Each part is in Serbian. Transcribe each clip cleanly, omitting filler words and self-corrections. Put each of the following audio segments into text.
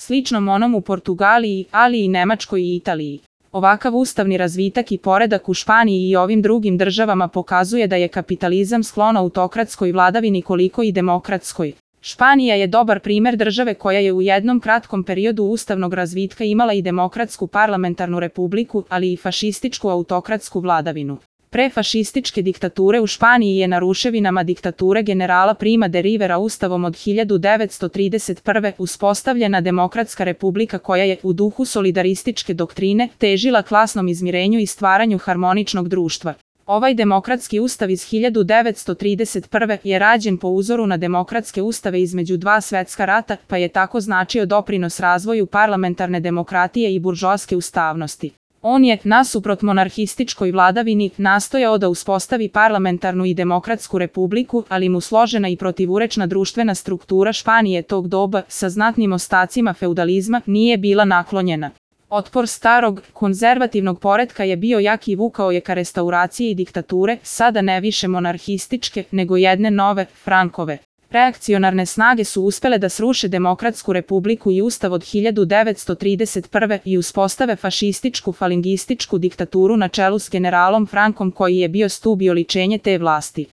sličnom onom u Portugaliji, ali i Nemačkoj i Italiji. Ovakav ustavni razvitak i poredak u Španiji i ovim drugim državama pokazuje da je kapitalizam sklon autokratskoj vladavini koliko i demokratskoj. Španija je dobar primer države koja je u jednom kratkom periodu ustavnog razvitka imala i demokratsku parlamentarnu republiku, ali i fašističku autokratsku vladavinu. Pre fašističke diktature u Španiji je na ruševinama diktature generala Prima de Rivera ustavom od 1931. uspostavljena demokratska republika koja je, u duhu solidarističke doktrine, težila klasnom izmirenju i stvaranju harmoničnog društva. Ovaj demokratski ustav iz 1931. je rađen po uzoru na demokratske ustave između dva svetska rata, pa je tako značio doprinos razvoju parlamentarne demokratije i buržoaske ustavnosti. On je, nasuprot monarhističkoj vladavini, nastojao da uspostavi parlamentarnu i demokratsku republiku, ali mu složena i protivurečna društvena struktura Španije tog doba, sa znatnim ostacima feudalizma, nije bila naklonjena. Otpor starog, konzervativnog poretka je bio jak i vukao je ka restauraciji diktature, sada ne više monarhističke, nego jedne nove, Frankove. Reakcionarne snage su uspele da sruše demokratsku republiku i ustav od 1931. i uspostave fašističku falingističku diktaturu na čelu s generalom Frankom koji je bio stub i oličenje te vlasti.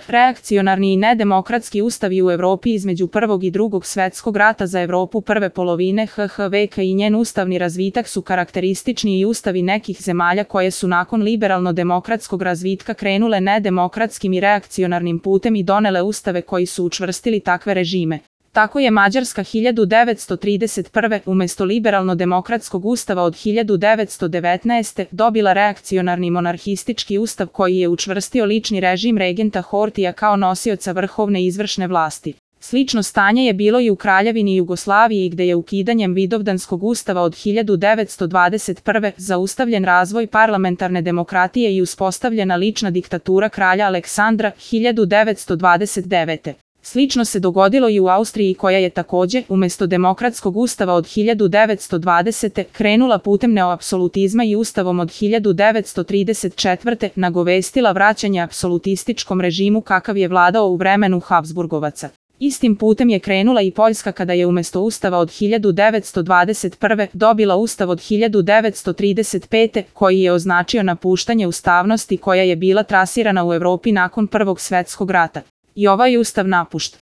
Reakcionarni i nedemokratski ustavi u Evropi između Prvog i Drugog svetskog rata za Evropu prve polovine HH veka i njen ustavni razvitak su karakteristični i ustavi nekih zemalja koje su nakon liberalno-demokratskog razvitka krenule nedemokratskim i reakcionarnim putem i donele ustave koji su učvrstili takve režime. Tako je Mađarska 1931. umesto liberalno-demokratskog ustava od 1919. dobila reakcionarni monarhistički ustav koji je učvrstio lični režim regenta Hortija kao nosioca vrhovne izvršne vlasti. Slično stanje je bilo i u Kraljevini Jugoslaviji gde je ukidanjem Vidovdanskog ustava od 1921. zaustavljen razvoj parlamentarne demokratije i uspostavljena lična diktatura kralja Aleksandra 1929. Slično se dogodilo i u Austriji koja je takođe, umesto demokratskog ustava od 1920. krenula putem neoapsolutizma i ustavom od 1934. nagovestila vraćanje apsolutističkom režimu kakav je vladao u vremenu Habsburgovaca. Istim putem je krenula i Poljska kada je umesto ustava od 1921. dobila ustav od 1935. koji je označio napuštanje ustavnosti koja je bila trasirana u Evropi nakon Prvog svetskog rata. I ovaj ustav napušta.